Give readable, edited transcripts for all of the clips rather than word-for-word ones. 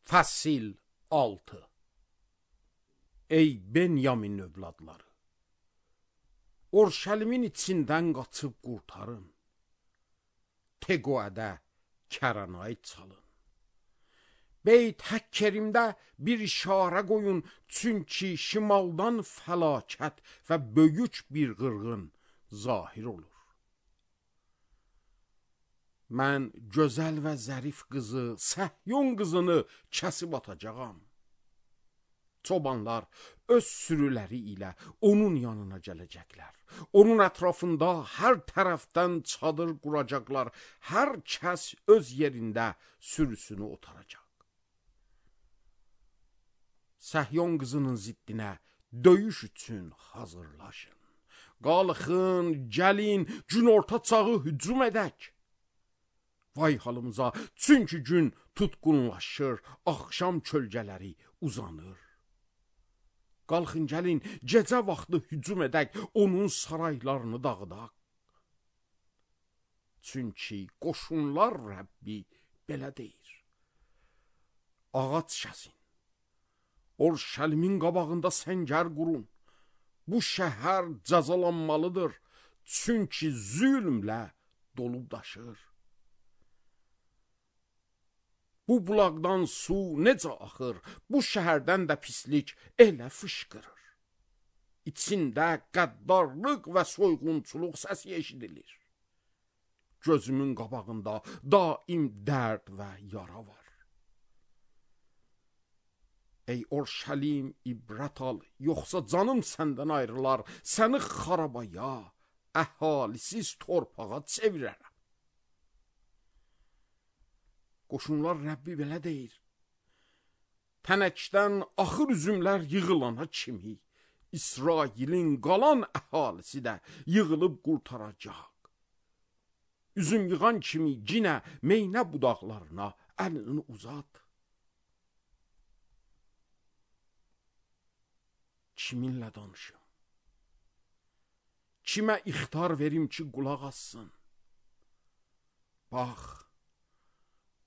Fəsil 6. Ey Benyamin övladları, Orşəlimin içindən qaçıb qurtarın. Teqoədə Kəranayı çalın. Beyt Həkkerimdə bir işarə qoyun, çünki şimaldan fəlakət və böyük bir qırğın zahir olur. Mən gözəl və zərif qızı, Səhyon qızını kəsib atacağam. Çobanlar öz sürüləri ilə onun yanına gələcəklər. Onun ətrafında hər tərəfdən çadır quracaqlar. Hər kəs öz yerində sürüsünü otaracaq. Səhyon qızının ziddinə döyüş üçün hazırlaşın. Qalxın, gəlin, günorta çağı hücum edək. Vay halımıza, çünki gün tutqunlaşır, axşam kölgələri uzanır. Qalxın, gəlin, gecə vaxtı hücum edək, onun saraylarını dağıdaq. Çünki qoşunlar Rəbbi belə deyir. Ağac kəsin, Orşəlimin qabağında səngər qurun. Bu şəhər cəzalanmalıdır, çünki zülmlə dolub daşır. Bu bulaqdan su necə axır, bu şəhərdən də pislik elə fışqırır. İçində qəddarlıq və soyğunçuluq səsi eşidilir. Gözümün qabağında daim dərd və yara var. Ey Orşəlim, ibrət al, yoxsa canım səndən ayrılar, səni xarabaya, əhalisiz torpağa çevirərəm. Qoşunlar Rəbbi belə deyir. Tənəkdən axır üzümlər yığılana kimi, İsrailin qalan əhalisi də yığılıb qurtaracaq. Üzüm yığan kimi yenə meynə budaqlarına əlini uzat. Kiminlə danışım? Kimə ixtar verim ki, qulaq assın? Bax,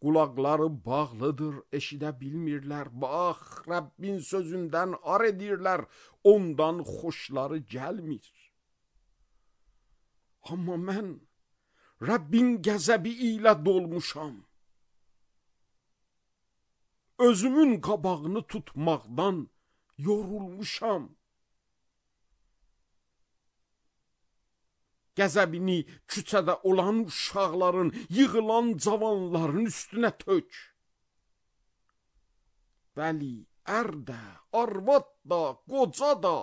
qulaqları bağlıdır, eşidə bilmirlər. Bax, Rəbbin sözündən ar edirlər, ondan xoşları gəlmir. Amma mən Rəbbin qəzəbi ilə dolmuşam. Özümün qabağını tutmaqdan yorulmuşam. Qəzəbini küçədə olan uşaqların, yığılan cavanların üstünə tök. Bəli, ər də, arvad da, qoca da,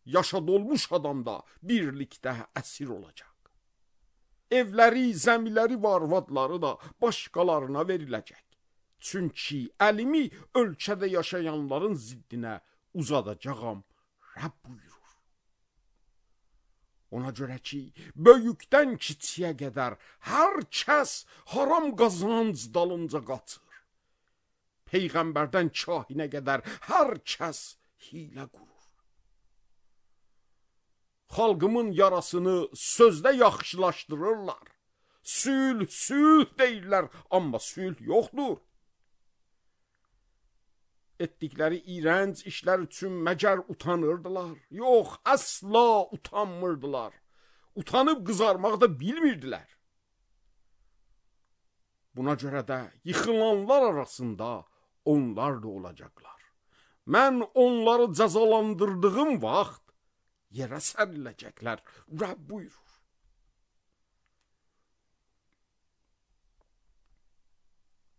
yaşa dolmuş adam da birlikdə əsir olacaq. Evləri, zəmiləri və arvadları da başqalarına veriləcək. Çünki əlimi ölkədə yaşayanların ziddinə uzadacağam, Rəbb buyurur. Ona görə ki, böyükdən kiçiyə qədər hər kəs haram qazanc dalınca qaçır. Peyğəmbərdən kahinə qədər hər kəs hiylə qurur. Xalqımın yarasını sözdə yaxşılaşdırırlar. Sülh, sülh deyirlər, amma sülh yoxdur. Etdikləri iğrənc işlər üçün məgər utanırdılar? Yox, əsla utanmırdılar. Utanıb qızarmaq da bilmirdilər. Buna görə də yıxılanlar arasında onlar da olacaqlar. Mən onları cəzalandırdığım vaxt yerə səriləcəklər. Rəbb buyurur.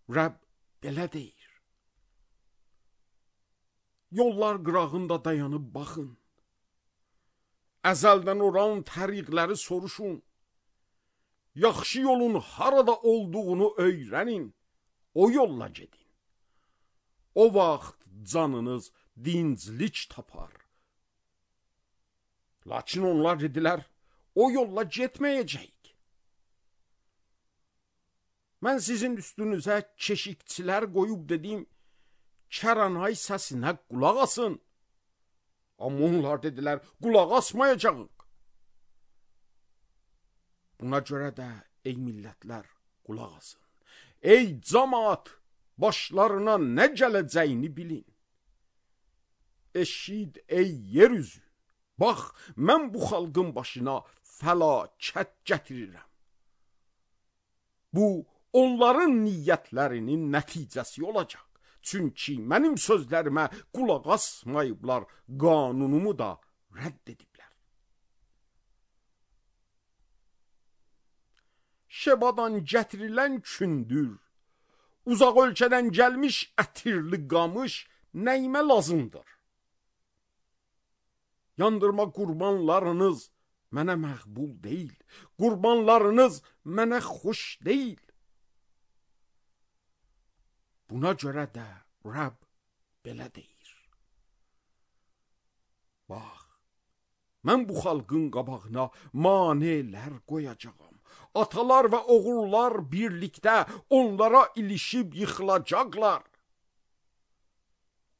Rəbb belə deyir. Yollar qırağında dayanıb baxın. Əzəldən olan təriqləri soruşun. Yaxşı yolun harada olduğunu öyrənin. O yolla gedin. O vaxt canınız dinclik tapar. Lakin onlar dedilər, o yolla getməyəcəyik. Mən sizin üstünüzə keşikçilər qoyub dedim, Kəranay səsinə qulaq asın. Amma onlar dedilər, qulaq asmayacağıq. Buna görə də, ey millətlər, qulaq asın. Ey camaat, başlarına nə gələcəyini bilin. Eşid ey yer üzü, bax, mən bu xalqın başına fəlakət gətirirəm. Bu, onların niyyətlərinin nəticəsi olacaq. Çünki mənim sözlərimə qulaq asmayıblar, qanunumu da rədd ediblər. Şebadan gətirilən kündür, uzaq ölkədən gəlmiş ətirli qamış nəyimə lazımdır? Yandırma qurbanlarınız mənə məqbul deyil, qurbanlarınız mənə xoş deyil. Buna görə də Rəbb belə deyir. Bax, mən bu xalqın qabağına manelər qoyacağam. Atalar və oğullar birlikdə onlara ilişib yıxılacaqlar.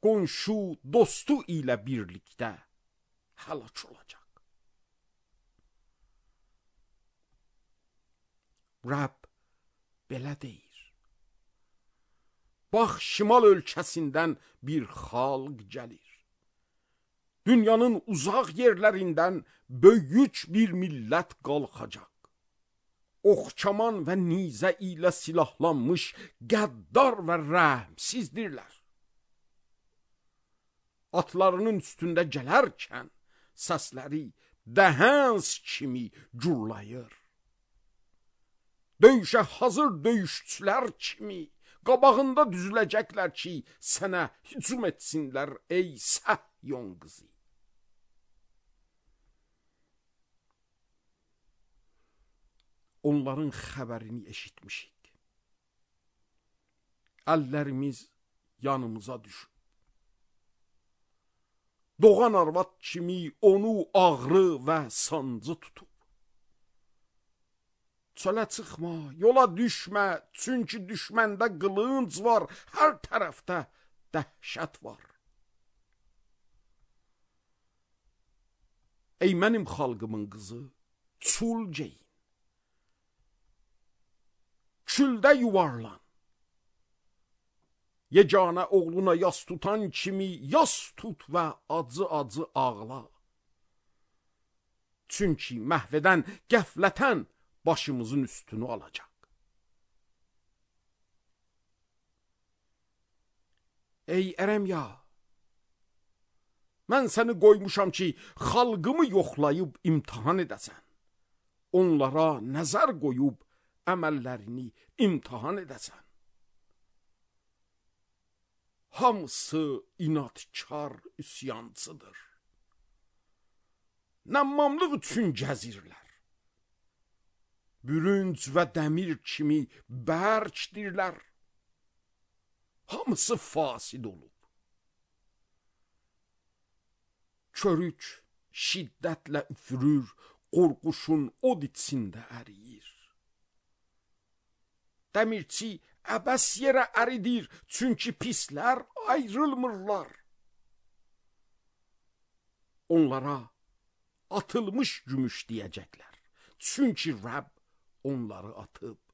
Qonşu, dostu ilə birlikdə həlak olacaq. Rəbb belə deyir. Bax, şimal ölkəsindən bir xalq gəlir. Dünyanın uzaq yerlərindən böyük bir millət qalxacaq. Oxçaman və nizə ilə silahlanmış qəddar və rəhmsizdirlər. Atlarının üstündə gələrkən səsləri dəhəns kimi gurlayır. Döyüşə hazır döyüşçülər kimi qabağında düzüləcəklər ki, sənə hücum etsinlər ey Səhyon qızı. Onların xəbərini eşitmişik. Əllərimiz yanımıza düşüb. Doğan arvad kimi onu ağrı və sancı tutub. Çölə çıxma, yola düşmə, çünki düşməndə qılınc var, hər tərəfdə dəhşət var. Ey mənim xalqımın qızı, çul geyin. Küldə yuvarlan. Yeganə oğluna yas tutan kimi yas tut və acı-acı ağla. Çünki məhvədən, qəflətən başımızın üstünü alacaq. Ey Ərəmya, mən səni qoymuşam ki, xalqımı yoxlayıb imtihan edəsən. Onlara nəzər qoyub əməllərini imtihan edəsən. Hamısı inadkar üsyancıdır. Nəmmamlıq üçün gəzirlər. Bürünc və dəmir kimi bərkdirlər. Hamısı fasid olub. Körük şiddətlə üfürür, qorquşun od içində əriyir. Dəmirçi əbəs yerə əridir, çünki pislər ayrılmırlar. Onlara atılmış gümüş deyəcəklər, çünki Rəbb onları atıb.